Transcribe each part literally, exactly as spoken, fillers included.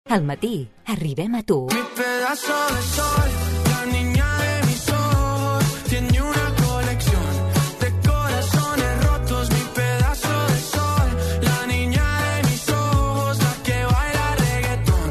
Al matí, arribem a tu. Mi pedazo de sol, la niña de mis ojos, tiene una colección de corazones rotos. Mi pedazo de sol, la niña de mis ojos, la que baila reggaetón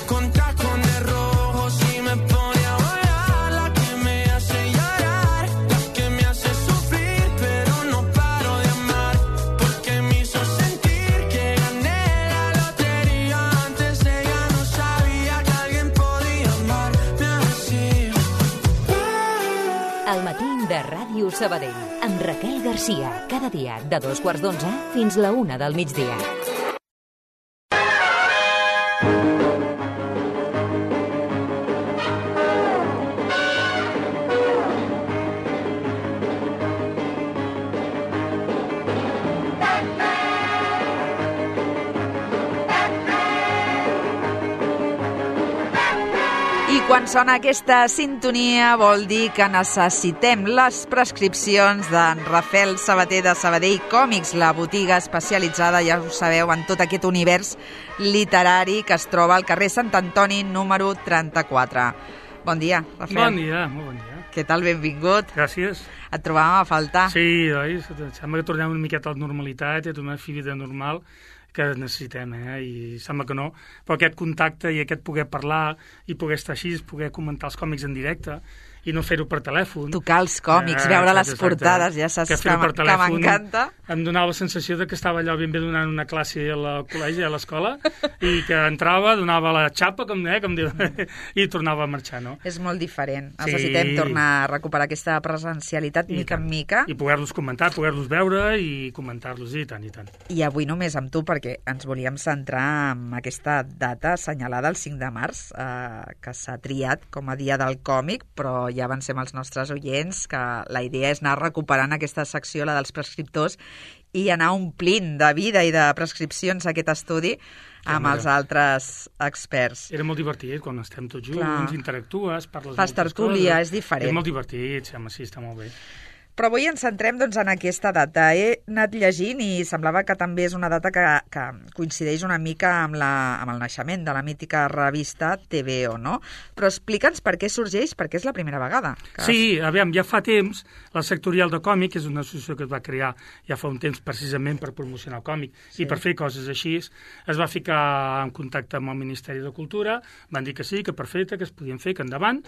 con tacones rojos y me pone a bailar, la que me hace llorar, la que me hace sufrir, pero no paro de amar, porque me hizo sentir que gané la lotería. Antes de ella no sabía que alguien podía amarme así. Al matí de Ràdio Sabadell, amb Raquel Garcia, cada dia de dos quarts d'onze fins la una del migdia. I quan sona aquesta sintonia vol dir que necessitem les prescripcions d'en Rafael Sabater de Sabadell Còmics, la botiga especialitzada, ja ho sabeu, en tot aquest univers literari que es troba al carrer Sant Antoni número trenta-quatre. Bon dia, Rafael. Bon dia, molt bon dia. Què tal? Benvingut. Gràcies. Et trobàvem a faltar. Sí, oi? Sembla que tornem una miqueta a la normalitat, a una vida normal que necessitem, eh? I sembla que no, però aquest contacte i aquest poder parlar i poder estar així, poder comentar els còmics en directe i no fer-ho per telèfon. Tocar els còmics, eh, veure exacte, les portades, ja saps que, que, que m'encanta. Em donava la sensació de que estava allò ben bé donant una classe al col·legi, a l'escola, i que entrava, donava la xapa, com, eh, com diu, i tornava a marxar, no? És molt diferent. Sí. Necessitem tornar a recuperar aquesta presencialitat I mica tant. en mica. I poder-los comentar, poder-los veure i comentar-los, i tant, i tant. I avui només amb tu, perquè ens volíem centrar en aquesta data assenyalada el cinc de març, eh, que s'ha triat com a dia del còmic, però ja avancem als nostres oients que la idea és anar recuperant aquesta secció, la dels prescriptors, i anar omplint de vida i de prescripcions aquest estudi amb Clar, els altres experts. Era molt divertit, quan estem tots junts, Clar. interactues, parles Fas moltes tertúlia, coses. és diferent. És molt divertit, sí, home, sí, està molt bé. Però avui ens centrem doncs, en aquesta data. He anat llegint i semblava que també és una data que, que coincideix una mica amb, la, amb el naixement de la mítica revista T V O, no? Però explica'ns per què sorgeix, perquè és la primera vegada. Que... Sí, aviam, ja fa temps, la Sectorial de Còmic, que és una associació que es va crear ja fa un temps precisament per promocionar el còmic sí. i per fer coses així, es va ficar en contacte amb el Ministeri de Cultura, van dir que sí, que perfecte, que es podien fer, que endavant,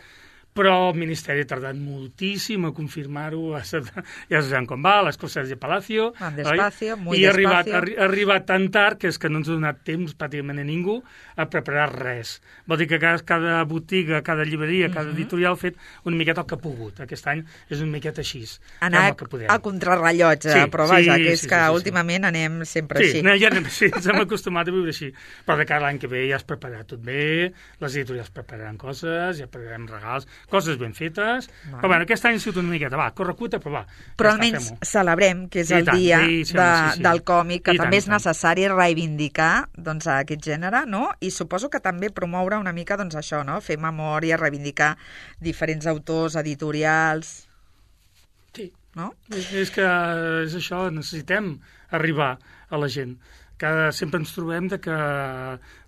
però el Ministeri ha tardat moltíssim a confirmar-ho, ja sabem com va, les coses de Palacio, Van despacio, muy i ha arribat, despacio. ha arribat tan tard que és que no ens ha donat temps pràcticament a ningú a preparar res. Vol dir que cada, cada botiga, cada llibreria, cada Uh-huh. editorial ha fet una miqueta el que ha pogut. Aquest any és una miqueta així. Anar el que podem. a contrarrellotge, Sí, però vaja, sí, que és sí, que sí, sí, últimament anem sempre Sí, així. no, ja anem, sí, ens hem acostumat a viure així. Però de cara a l'any que ve ja es prepararà tot bé, les editorials prepararan coses, ja prepararem regals, coses ben fetes. Va. Però bueno, aquest any ha sigut una miqueta, va, corre cuita, però va. Però ja almenys està, fem-ho. celebrem que és I el tant, dia sí, sí, de, home, sí, sí. del còmic, que I tant, també i és tant. necessari reivindicar doncs, aquest gènere, no? I suposo que també promoure una mica doncs, això, no? Fer memòria, reivindicar diferents autors, editorials... Sí, No? és, és que és això, necessitem arribar a la gent. Que sempre ens trobem de que,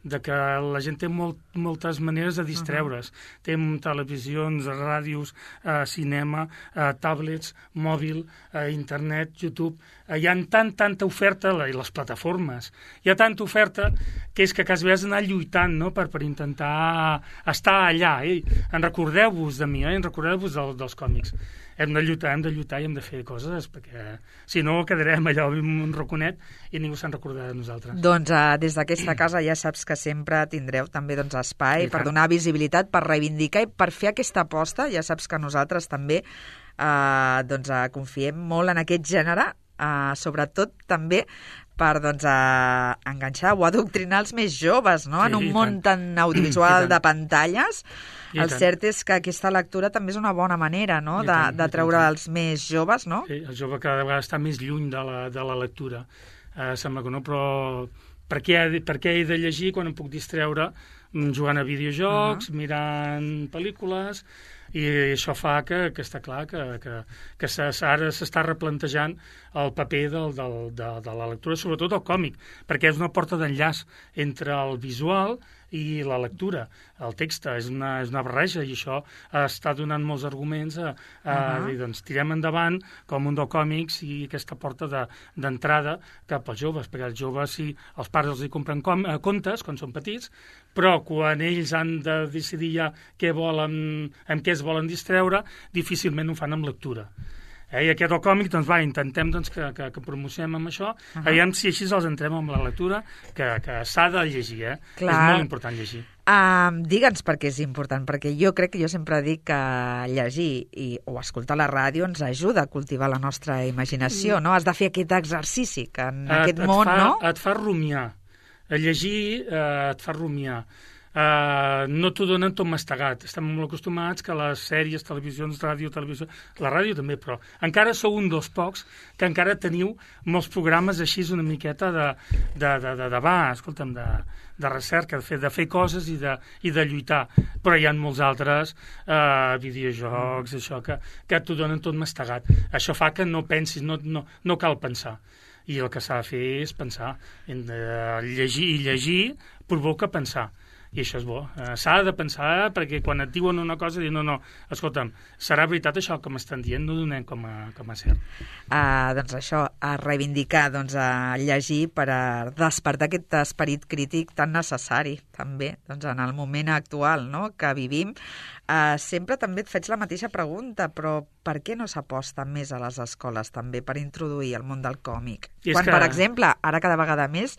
de que la gent té molt, moltes maneres de distreure's. Uh-huh. Té televisions, ràdios, eh, cinema, eh, tablets, mòbil, eh, internet, YouTube. Eh, hi ha tant, tanta oferta, i les plataformes, hi ha tanta oferta que és que quasi has d'anar lluitant, no?, per, per intentar estar allà. Eh? En recordeu-vos de mi, eh? en recordeu-vos del, dels còmics. Hem de lluitar, hem de lluitar i hem de fer coses, perquè si no quedarem allò en un raconet i ningú se'n recordarà de nosaltres. Doncs uh, des d'aquesta casa ja saps que sempre tindreu també doncs, espai I per tant. donar visibilitat, per reivindicar i per fer aquesta aposta. Ja saps que nosaltres també uh, doncs, uh, confiem molt en aquest gènere, uh, sobretot també per doncs, uh, enganxar o adoctrinar els més joves, no? Sí, en un i món tant. tan audiovisual I tant. de pantalles. I El tant. cert és que aquesta lectura també és una bona manera, no?, I de, tant, de i treure tant. els més joves, no? Sí, el jove cada vegada està més lluny de la, de la lectura. Eh, sembla que no, però per què, he de, per què he de llegir quan em puc distreure jugant a videojocs, uh-huh. mirant pel·lícules, i això fa que, que està clar que, que, que ara s'està replantejant el paper del, del, de, de la lectura, sobretot el còmic, perquè és una porta d'enllaç entre el visual i la lectura. El text és una, és una barreja i això està donant molts arguments a, a uh-huh. dir, doncs, tirem endavant com un mundo còmics i aquesta porta d'entrada de, cap als joves, perquè els joves, si els pares els hi compren com, eh, contes quan són petits, però quan ells han de decidir ja què volen, amb què es volen distreure, difícilment ho fan amb lectura. Eh, I aquest el còmic, doncs va, intentem doncs, que, que, que promocionem amb això, uh-huh. aviam si així els entrem amb la lectura, que, que s'ha de llegir, eh? Clar. És molt important llegir. Um, Digue'ns per què és important, perquè jo crec que jo sempre dic que llegir i, o escoltar la ràdio ens ajuda a cultivar la nostra imaginació, no? Has de fer aquest exercici, que en et, aquest et món, fa, no? Et fa rumiar. Llegir eh, et fa rumiar. Uh, no t'ho donen tot mastegat. Estem molt acostumats que les sèries, televisions, ràdio, televisió... La ràdio també, però encara sou un dels pocs que encara teniu molts programes així una miqueta de, de, de, de, de va, escolta'm, de, de recerca, de fer, de fer coses i de, i de lluitar. Però hi ha molts altres uh, videojocs, això, que, que t'ho donen tot mastegat. Això fa que no pensis, no, no, no cal pensar. I el que s'ha de fer és pensar. Uh, llegir i llegir provoca pensar. I això és bo. Uh, s'ha de pensar, perquè quan et diuen una cosa, dir, no, no, escolta'm, serà veritat això que m'estan dient, no donem com a, com a cert. Uh, doncs això, a reivindicar, doncs a llegir per a despertar aquest esperit crític tan necessari, també, doncs en el moment actual, no?, que vivim. Uh, sempre també et faig la mateixa pregunta, però per què no s'aposta més a les escoles també per introduir el món del còmic? Quan, que... per exemple, ara cada vegada més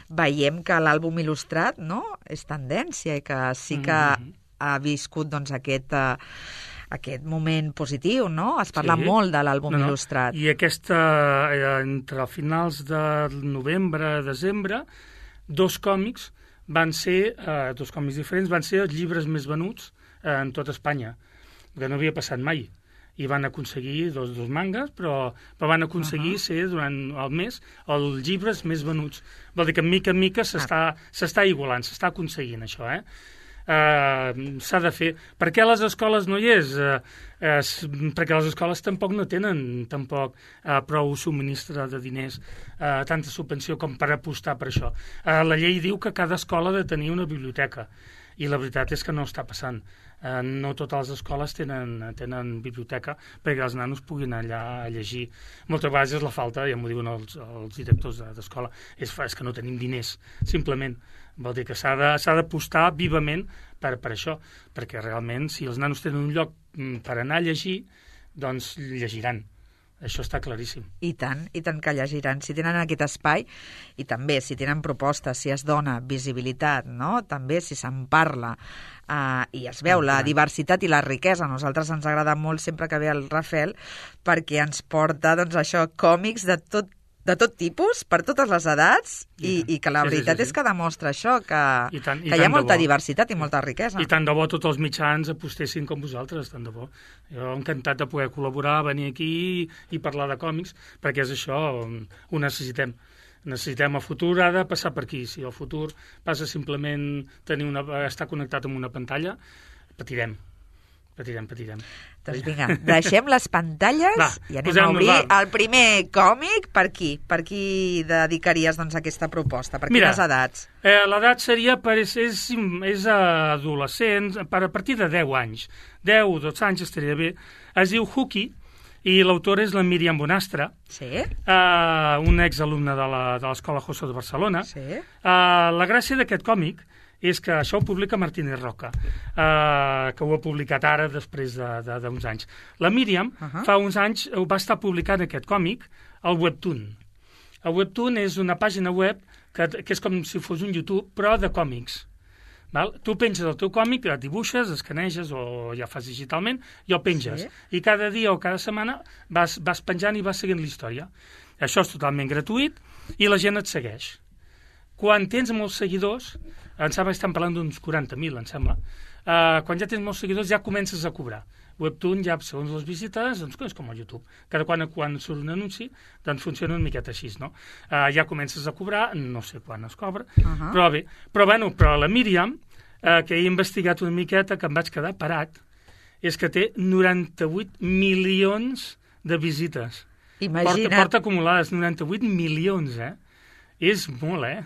veiem que l'àlbum il·lustrat, no?, és tendència i que sí que mm-hmm. ha viscut doncs aquest... Uh, aquest moment positiu, no? Es parla sí. molt de l'àlbum no, no. il·lustrat. I aquesta, eh, entre finals de novembre, desembre, dos còmics van ser, eh, dos còmics diferents, van ser els llibres més venuts eh, en tota Espanya, que no havia passat mai. I van aconseguir dos, dos mangas, però, però van aconseguir uh-huh. ser durant el mes els llibres més venuts. Vol dir que mica en mica s'està ah. s'està igualant, s'està aconseguint això, eh? Uh, s'ha de fer. Per què a les escoles no hi és? Uh, uh, perquè les escoles tampoc no tenen tampoc uh, prou subministre de diners, uh, tanta subvenció com per apostar per això. Uh, la llei diu que cada escola ha de tenir una biblioteca i la veritat és que no està passant. Uh, no totes les escoles tenen, tenen biblioteca perquè els nanos puguin allà a llegir. Moltes vegades és la falta, ja m'ho diuen els, els directors d'escola, és, és que no tenim diners, simplement. Vol dir que s'ha d'apostar vivament per, per això, perquè realment si els nanos tenen un lloc per anar a llegir, doncs llegiran. Això està claríssim. I tant, i tant que llegiran. Si tenen aquest espai, i també si tenen propostes, si es dona visibilitat, no? També si se'n parla, uh, i es veu la diversitat i la riquesa. A nosaltres ens agrada molt sempre que ve el Rafael, perquè ens porta, doncs, això, còmics de tot de tot tipus, per totes les edats, i, i que la sí, veritat sí, sí, sí. és que demostra això, que, I tant, i que hi ha molta bo. diversitat i molta riquesa. I tant de bo tots els mitjans apostessin com vosaltres, tant de bo. Jo encantat de poder col·laborar, venir aquí i, i parlar de còmics, perquè és això, ho necessitem. Necessitem el futur, ha de passar per aquí. Si el futur passa simplement tenir una, estar connectat amb una pantalla, patirem. Patirem, patirem. Doncs vinga, deixem les pantalles va, i anem a obrir va. el primer còmic. Per qui? Per qui dedicaries doncs, aquesta proposta? Per Mira, quines edats? Eh, l'edat seria, per, és, és, és adolescent, per, a partir de deu anys. deu o dotze anys estaria bé. Es diu Huki i l'autora és la Míriam Bonastre, sí? eh, un exalumne de l'Escola José de Barcelona. Sí? Eh, la gràcia d'aquest còmic és que això ho publica Martínez Roca, eh, que ho ha publicat ara després d'uns de, anys. La Míriam, uh-huh. fa uns anys, va estar publicant aquest còmic al Webtoon. El Webtoon és una pàgina web que, que és com si fos un YouTube, però de còmics. Val? Tu penges el teu còmic, el dibuixes, escaneges o ja fas digitalment i el penges. Sí. I cada dia o cada setmana vas, vas penjant i vas seguint la història. Això és totalment gratuït i la gent et segueix. Quan tens molts seguidors, em sembla que estan parlant d'uns quaranta mil, em sembla, uh, quan ja tens molts seguidors ja comences a cobrar. Webtoon ja, segons les visites, doncs és com a YouTube. Cada quan, quan surt un anunci, doncs funciona una miqueta així, no? Uh, ja comences a cobrar, no sé quan es cobra, uh-huh. però bé. Però, bueno, però la Míriam, uh, que he investigat una miqueta, que em vaig quedar parat, és que té noranta-vuit milions de visites. Imagina't. Porta, porta acumulades noranta-vuit milions, eh? És molt, eh?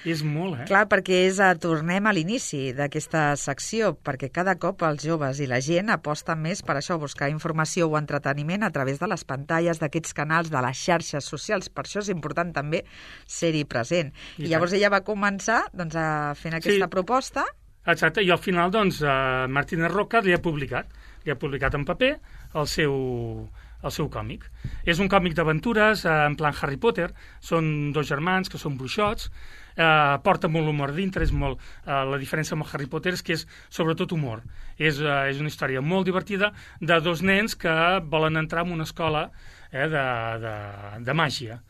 És molt, eh? Clar, perquè és, a, tornem a l'inici d'aquesta secció, perquè cada cop els joves i la gent aposten més per això, buscar informació o entreteniment a través de les pantalles, d'aquests canals, de les xarxes socials. Per això és important també ser-hi present. I, I llavors ella va començar doncs, a fent aquesta sí. proposta. Exacte, i al final, doncs, uh, Martínez Roca li ha publicat, li ha publicat en paper el seu, el seu còmic. És un còmic d'aventures, uh, en plan Harry Potter, són dos germans que són bruixots, uh, porta molt humor dintre, és molt, uh, la diferència amb el Harry Potter és que és sobretot humor. És, uh, és una història molt divertida de dos nens que volen entrar en una escola eh, de, de, de màgia.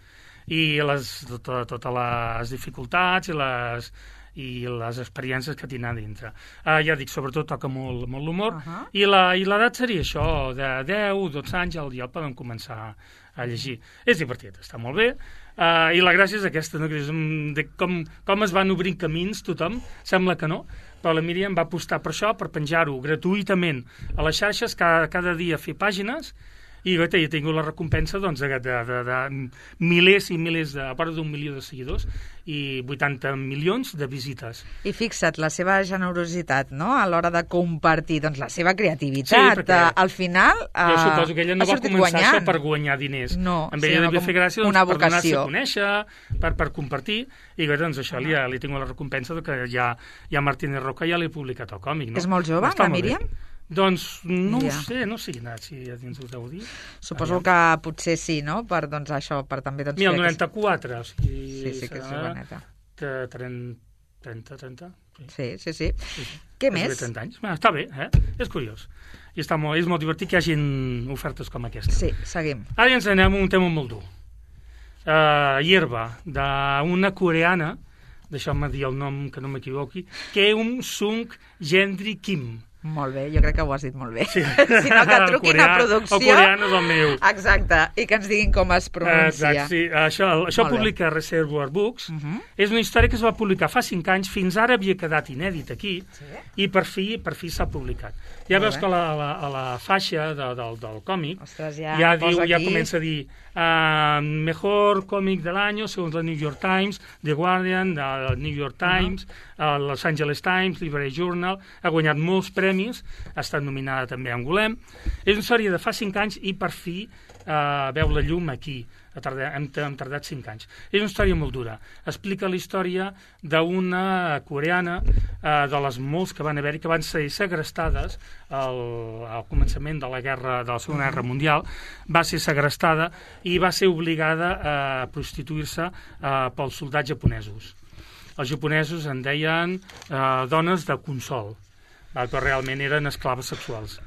I les, totes tota les dificultats i les, i les experiències que tindrà dintre. Uh, ja dic, sobretot toca molt, molt l'humor, uh -huh. i la, i l'edat seria això, de deu, dotze anys, ja, ja el poden començar a llegir. És divertit, està molt bé, uh, i la gràcia és aquesta, no? Que és de com, com es van obrint camins tothom, sembla que no, però la Míriam va apostar per això, per penjar-ho gratuïtament a les xarxes, cada, cada dia fer pàgines, i he tingut la recompensa doncs, de, de, de, de milers i milers, de, a part d'un milió de seguidors i vuitanta milions de visites. I fixa't, la seva generositat, no?, a l'hora de compartir doncs, la seva creativitat. Sí, perquè al final jo suposo que ella no va començar guanyant. Això per guanyar diners. No, amb ella devia fer gràcia doncs, per donar-se a conèixer, per, per compartir, i doncs això uh -huh. li, ha, li tinc la recompensa de que ja, ja Martínez Roca ja li ha publicat el còmic. No? És molt jove, Està la Míriam? Doncs no ja. ho sé, no sé si ja ens ho deu dir. Suposo Aviam. que potser sí, no?, per doncs, això, per també... Doncs, Mira, el noranta-quatre, o sigui... Sí, sí que és joveneta. trenta, trenta... Sí, sí, sí. sí, sí. Què més? trenta anys. Bé, està bé, eh? És curiós. I està molt, és molt divertit que hi hagin ofertes com aquesta. Sí, seguim. Ara ens anem a un tema molt dur. Uh, Hierba, d'una coreana, deixeu-me dir el nom que no m'equivoqui, Keum Sung Gendry Kim. Molt bé, jo crec que ho has dit molt bé. Sí. Si no, que truquin coreà, a producció. El coreano és el meu. Exacte, i que ens diguin com es pronuncia. Exacte, sí. Això, això publica Reservoir Books. Uh -huh. És una història que es va publicar fa cinc anys, fins ara havia quedat inèdit aquí, sí. i per fi per fi s'ha publicat. Ja molt veus bé. que a la, a la, a la faixa de, del, del còmic Ostres, ja, ja, diu, ja comença a dir uh, mejor còmic de l'any, segons la New York Times, The Guardian, el New York Times, uh -huh. uh, Los Angeles Times, Library Journal, ha guanyat molts premis, ha estat nominada també a Angolem. És una història de fa cinc anys i per fi uh, veu la llum aquí. Tardat, hem, hem tardat cinc anys. És una història molt dura. Explica la història d'una coreana, eh, de les molts que van haver-hi, que van ser segrestades al, al començament de la guerra de la Segona Guerra Mundial. Va ser segrestada i va ser obligada a prostituir-se eh, pels soldats japonesos. Els japonesos en deien eh, dones de consol, però realment eren esclaves sexuals.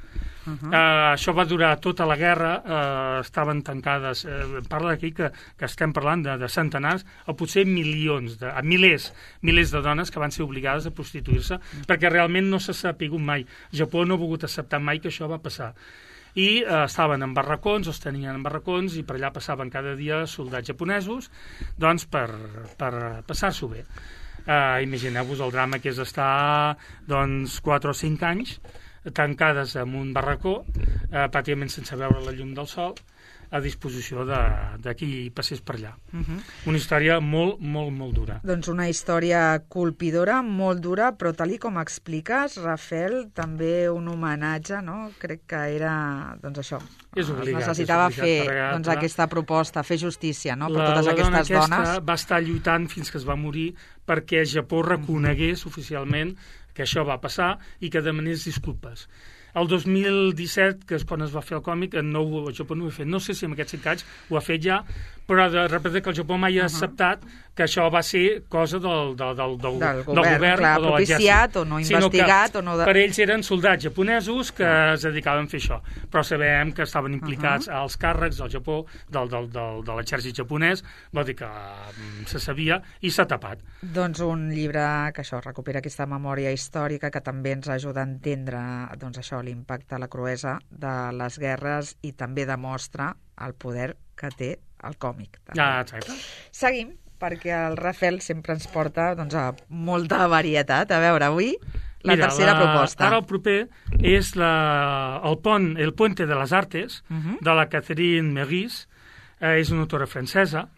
Uh -huh. uh, això va durar tota la guerra, uh, estaven tancades, uh, parla d'aquí que, que estem parlant de, de centenars o potser milions, de, milers, milers de dones que van ser obligades a prostituir-se, uh -huh. perquè realment no s'ha sapigut mai. Japó no ha volgut acceptar mai que això va passar. I uh, estaven en barracons, els tenien en barracons, i per allà passaven cada dia soldats japonesos, doncs per, per passar-s'ho bé. Uh, imagineu-vos el drama que és estar doncs quatre o cinc anys tancades en un barracó, eh, pràcticament sense veure la llum del sol, a disposició de, de qui passés per allà. Uh -huh. Una història molt, molt, molt dura. Doncs una història colpidora, molt dura, però tal i com expliques, Rafel, també un homenatge, no? Crec que era, doncs això, és obligat, necessitava és obligat fer doncs, aquesta proposta, fer justícia, no?, per la, totes la aquestes dona dones. Va estar lluitant fins que es va morir perquè Japó reconegués uh -huh. oficialment que això va passar i que demanés disculpes. El dos mil disset, que és quan es va fer el còmic, no, el Japó no ho ha fet. No sé si en aquests cinc anys ho ha fet ja, però de repente que el Japó mai ha acceptat uh -huh. que això va ser cosa del, del, del, del, del govern, del govern clar, o de propiciat o no investigat. O no de... Per ells eren soldats japonesos que uh -huh. es dedicaven a fer això, però sabem que estaven implicats uh -huh. als càrrecs del Japó, del, del, del, de l'exèrcit japonès, vol dir que um, se sabia i s'ha tapat. Doncs un llibre que això recupera aquesta memòria històrica que també ens ajuda a entendre doncs això, l'impacte, la cruesa de les guerres i també demostra el poder que té el còmic. Ah, exacte. Seguim, perquè el Rafel sempre ens porta doncs, a molta varietat. A veure, avui la Mira, tercera la, proposta. Ara el proper és la, el pont, el Puente de les Artes, uh -huh. de la Catherine Meurice, eh, és una autora francesa.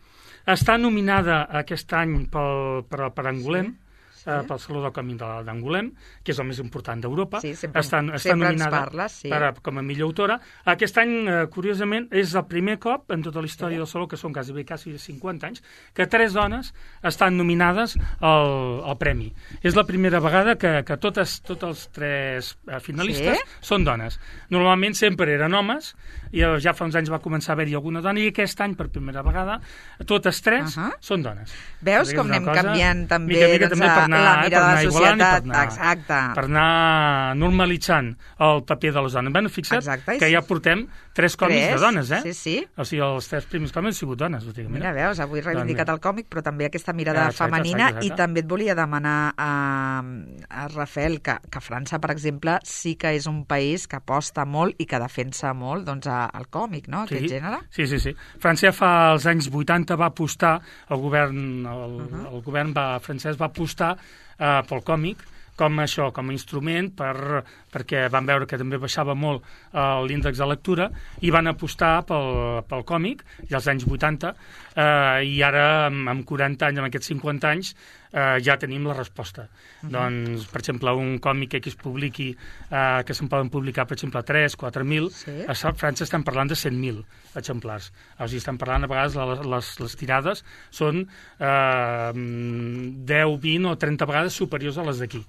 Està nominada aquest any pel, per, per Angolem, sí. eh, pel Saló del Còmic d'Angolem, que és el més important d'Europa. Sí, sempre, està, està sempre ens nominada parles, sí. per, com a millor autora. Aquest any, eh, curiosament, és el primer cop en tota la història sí. del Saló, que són quasi, quasi cinquanta anys, que tres dones estan nominades al, al premi. És la primera vegada que, que totes, tots els tres eh, finalistes sí? són dones. Normalment sempre eren homes, i ja fa uns anys va començar a haver-hi alguna dona, i aquest any, per primera vegada, totes tres uh -huh. són dones. Veus com anem cosa, canviant també, mica, mica, doncs, també per anar, la mirada eh, de la societat? Per anar, Exacte. Per anar normalitzant el paper de les dones. Ben, fixa't Exacte, que ja portem tres còmics tres? de dones, eh? Sí, sí. O sigui, els tres primers còmics han sigut dones. Mira, mira veus, avui reivindicat el còmic, però també aquesta mirada ja, exacte, femenina, exacte, exacte. I també et volia demanar a, a Rafael que, que França, per exemple, sí que és un país que aposta molt i que defensa molt doncs, el còmic, no?, aquest sí, gènere. Sí, sí, sí. França fa als anys vuitanta va apostar, el govern, el, uh -huh. el govern va, francès va apostar eh, pel còmic, com això, com a instrument, per, perquè van veure que també baixava molt uh, l'índex de lectura, i van apostar pel, pel còmic, i als anys vuitanta, uh, i ara, amb, amb quaranta anys, amb aquests cinquanta anys, uh, ja tenim la resposta. Uh -huh. Doncs, per exemple, un còmic que es publiqui, uh, que se'n poden publicar, per exemple, tres, quatre mil, sí. a França estem parlant de cent mil exemplars. O sigui, estem parlant, a vegades, les, les, les tirades són uh, deu, vint o trenta vegades superiors a les d'aquí.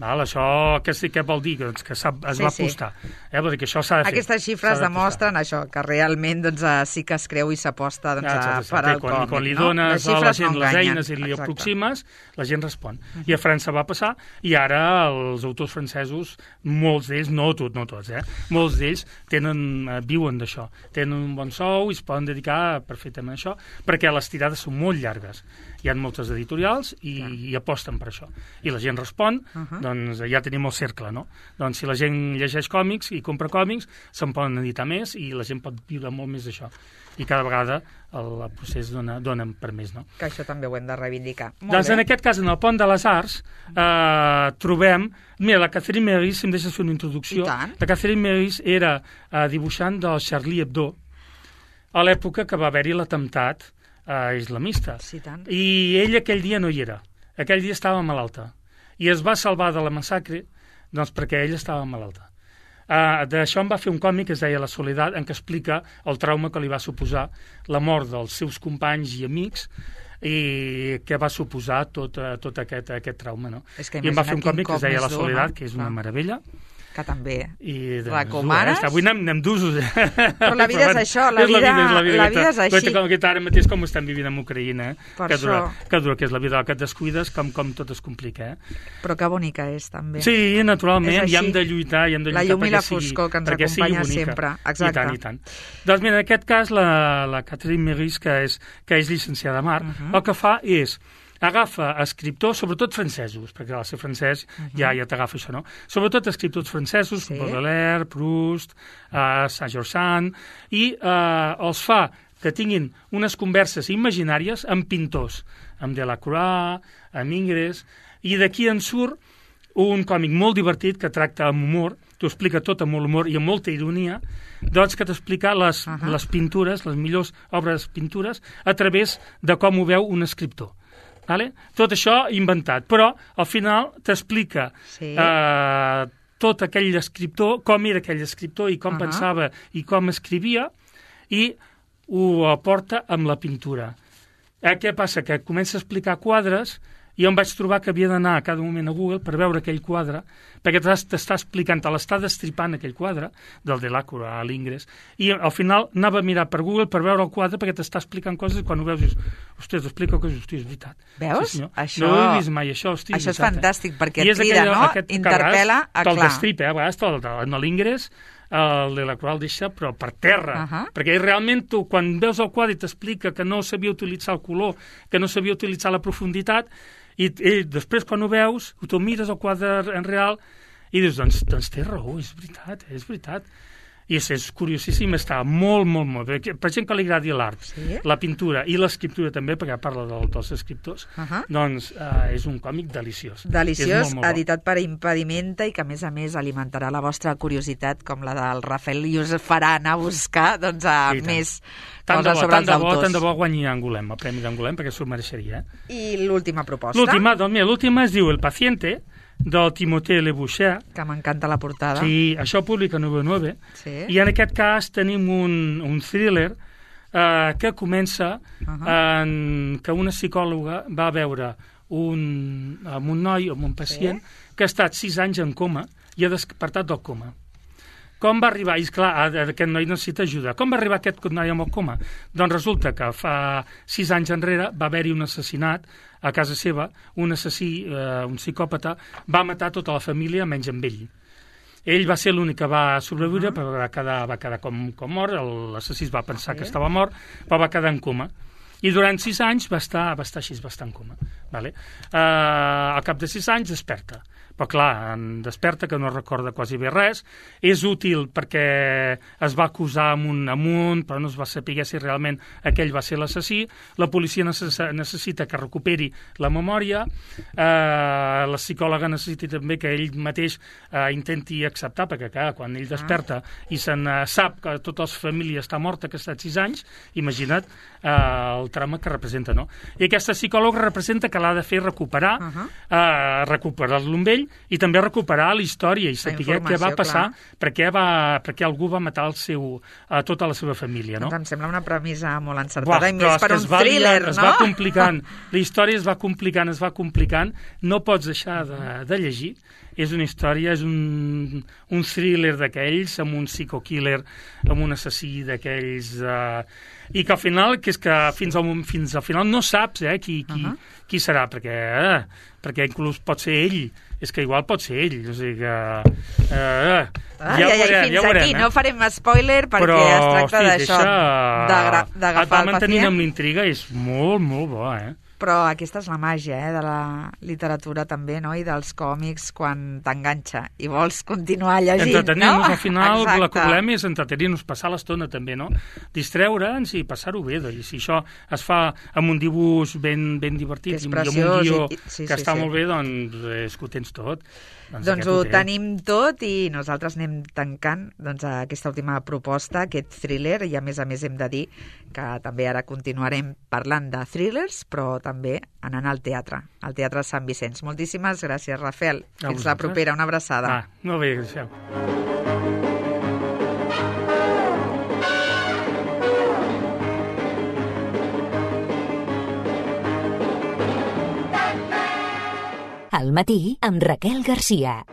Val, això què, sí, què vol dir? Doncs que es sí, va apostar. Sí. Eh? Vol dir que això s'ha de fer. Aquestes xifres demostren això, que realment doncs, sí que es creu i s'aposta doncs, ja, exacte, per al quan, còmic. Quan li no? dones a la gent no les eines i li exacte. aproximes, la gent respon. Uh -huh. I a França va passar, i ara els autors francesos, molts d'ells, no tots, no tots, eh? molts d'ells tenen, eh, viuen d'això. Tenen un bon sou i es poden dedicar perfectament a això, perquè les tirades són molt llargues. Hi ha moltes editorials i, ja. i aposten per això. I la gent respon, uh -huh. doncs ja tenim el cercle, no? Doncs si la gent llegeix còmics i compra còmics, se'n poden editar més i la gent pot viure molt més d'això. I cada vegada el, el procés dona, dona per més, no? Que això també ho hem de reivindicar. Molt doncs bé. En aquest cas, en el Pont de les Arts, eh, trobem... Mira, la Catherine Meurice, si em deixes fer una introducció, la Catherine Meurice era eh, dibuixant del Charlie Hebdo a l'època que va haver-hi l'atemptat eh, islamista. Sí, tant. I ell aquell dia no hi era. Aquell dia estava malalta. I es va salvar de la massacre doncs perquè ella estava malalta. Uh, D'això em va fer un còmic que es deia La Soledat, en què explica el trauma que li va suposar la mort dels seus companys i amics i què va suposar tot, uh, tot aquest, aquest trauma. No? I em va fer un còmic que es deia La Soledat, no? que és una meravella. Que també I, recomanes. Eh? Avui anem, anem d'usos. Eh? Però la vida és això, la, és vida, la, vida, és la, vida, la vida és així. Com que ara mateix com estem vivint amb Ucraïna, eh? que, dura, que dura, que és la vida que et descuides, com, com tot es complica. Eh? Però que bonica és, també. Sí, naturalment, i hem de lluitar, i hem de lluitar la llum i la sigui, foscor que ens acompanya sempre. Exacte. I tant, i tant. Doncs mira, en aquest cas, la, la Catherine Meurice, que és, que és llicenciada en art, uh -huh. el que fa és agafa escriptors, sobretot francesos, perquè al ser francès uh -huh. ja, ja t'agafa això, no? Sobretot escriptors francesos, sí. Baudelaire, Proust, uh, Saint-Georges Sand, i uh, els fa que tinguin unes converses imaginàries amb pintors, amb Delacroix, amb Ingres, i d'aquí en surt un còmic molt divertit que tracta amb humor, t'ho explica tot amb molt humor i amb molta ironia, doncs que t'explica les, uh -huh. les pintures, les millors obres pintures, a través de com ho veu un escriptor. Vale? Tot això inventat, però al final t'explica sí. eh, tot aquell escriptor, com era aquell escriptor i com uh -huh. pensava i com escrivia, i ho aporta amb la pintura. Eh, què passa? Que comença a explicar quadres, i em vaig trobar que havia d'anar a cada moment a Google per veure aquell quadre, perquè t'està explicant, te l'està destripant aquell quadre, del Delacroix a l'Ingres, i al final anava a mirar per Google per veure el quadre, perquè t'està explicant coses, i quan ho veus dius, hòstia, t'explico coses, hòstia, és veritat. Veus? Sí, això... No he vist mai això, hòstia, això és, és fantàstic, eh? perquè et crida, no? Interpel·la a clar. Te'l destripa, eh? A vegades en l'Ingres, el Delacroix el deixa, però per terra, uh -huh. perquè realment tu, quan veus el quadre i t'explica que no sabia utilitzar el color, que no sabia utilitzar la profunditat, i, i després quan ho veus, tu mires el quadre en real i dius, doncs, doncs té raó, és veritat, és veritat. I és, és curiosíssim, està molt, molt, molt bé. Per gent que li agradi l'art, Sí? la pintura i l'escriptura també, perquè parla del, dels escriptors, Uh -huh. doncs eh, és un còmic deliciós. Deliciós, és molt, molt bo. editat per Impedimenta i que, a més a més, alimentarà la vostra curiositat, com la del Rafael, i us farà anar a buscar doncs, a I tant. més Tant de coses bo, sobre tant els de bo, autors. tant de bo guanyi Angulem, el Premi d'Angulem, perquè s'ho mereixeria. Eh? I l'última proposta, L'última, doncs mira, l'última es diu El paciente, del Timothée Le Boucher. que m'encanta la portada. Sí, això ho publica nou nou. Sí. I en aquest cas tenim un, un thriller eh, que comença Uh -huh. en que una psicòloga va veure un, amb un noi, amb un pacient, Sí. que ha estat sis anys en coma i ha despertat del coma. Com va arribar? I, esclar, aquest noi necessita ajuda. Com va arribar aquest noi amb el coma? Doncs resulta que fa sis anys enrere va haver-hi un assassinat a casa seva, un assassí, eh, un psicòpata, va matar tota la família menys amb ell. Ell va ser l'únic que va sobreviure, uh -huh. però va quedar, va quedar com, com mort, l'assassí va pensar Sí. que estava mort, però va quedar en coma. I durant sis anys va estar, va estar així, va estar en coma. Vale? Uh, al cap de sis anys desperta. Però clar, en desperta, que no recorda quasi bé res. És útil perquè es va acusar amunt amunt, però no es va saber si realment aquell va ser l'assassí. La policia necess necessita que recuperi la memòria. Eh, la psicòloga necessita també que ell mateix eh, intenti acceptar, perquè clar, quan ell desperta i se'n eh, sap que tota la família està morta, que ha estat sis anys, imagina't eh, el trauma que representa, no? I aquesta psicòloga representa que l'ha de fer recuperar, Uh -huh. eh, recuperar-lo amb ell, i també recuperar la història i saber què va passar, per què, va, per què algú va matar el seu, a tota la seva família, no? Doncs em sembla una premissa molt encertada. Buah, i però més per un es va thriller, liant, no? Es va complicant, la història es va complicant, es va complicant, no pots deixar de, de llegir. És una història, és un, un thriller d'aquells, amb un psycho-killer, amb un assassí d'aquells... Eh, i que al final, que és que fins al, fins al final no saps eh, qui, qui, uh -huh. qui serà, perquè, eh, perquè inclús pot ser ell, és que igual pot ser ell, o sigui que... Eh, Ah, ja, ja, ho ja, veurem, fins ja ho veurem, aquí, eh? no farem spoiler perquè Però, es tracta hosti, d'això, deixa- d'agafar et va el mantenint pacient. amb l'intriga, és molt, molt bo, eh? Però aquesta és la màgia eh, de la literatura també, no? I dels còmics, quan t'enganxa i vols continuar llegint, Entretenir-nos, no? al final, Exacte. la que volem és entretenir-nos, passar l'estona també, no? Distreure'ns i passar-ho bé, i si això es fa amb un dibuix ben, ben divertit, Que és i amb un preciós guió i- sí, que sí, està sí. molt bé, doncs és que ho tens tot. Doncs aquest ho té. tenim tot i nosaltres anem tancant doncs, aquesta última proposta, aquest thriller, i a més a més hem de dir que també ara continuarem parlant de thrillers, però també anant al teatre, al Teatre Sant Vicenç. Moltíssimes gràcies, Rafael. A Fins la vosaltres. propera, una abraçada. Ah, molt bé, deixeu. Al matí amb Raquel Garcia.